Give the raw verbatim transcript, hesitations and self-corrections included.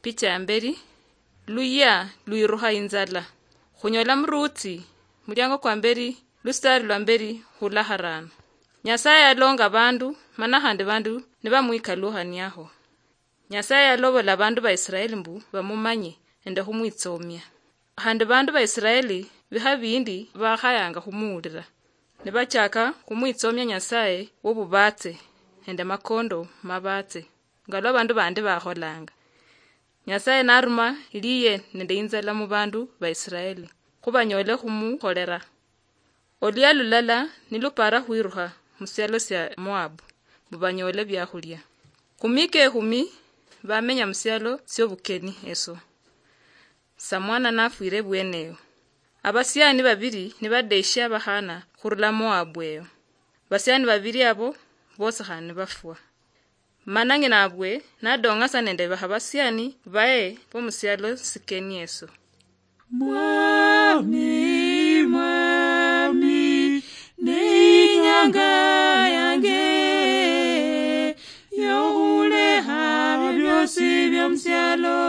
Picha ya mberi, luya lwirukha inzala. Khunyola murutsi, muliango kwa mberi, lusitari lwa mberi khula harano. Nyasaye yalonga bandu, mana khandi bandu nibamwikalukhaniakho. Nyasaye yalobola bandu ba Israeli mbu bamumanye nende khumwitsomia. Khandi bandu ba Israeli bikha bindi bakhayanga khumuwulira. Nibachaka khumwitsomia Nyasaye wobubatse nende makondo mabatse, nga lwa bandu bandi bakholanga. Nyasaye naruma liye nende inzala mu bandu ba Israeli, khubanyole khumukholera. Oluya lulala nilupara khwirukha mu sialo sia Moabu, mbu banyole biakhulia. Khumika ekhumi bamenya mu sialo siobukeni eso. Samwana nafwire bweneyo. Abasiani babiri nibadeshia abakhana khurula Moabu eyo. Basiani babiri abo bosi khandi nibafwa. Mana ng'inabwe nadong'asa nende bakhabasiani baye bomusialo sikeni eso. Mwami, Mwami, neinyanga yange yokhulekha byosi byomusialo.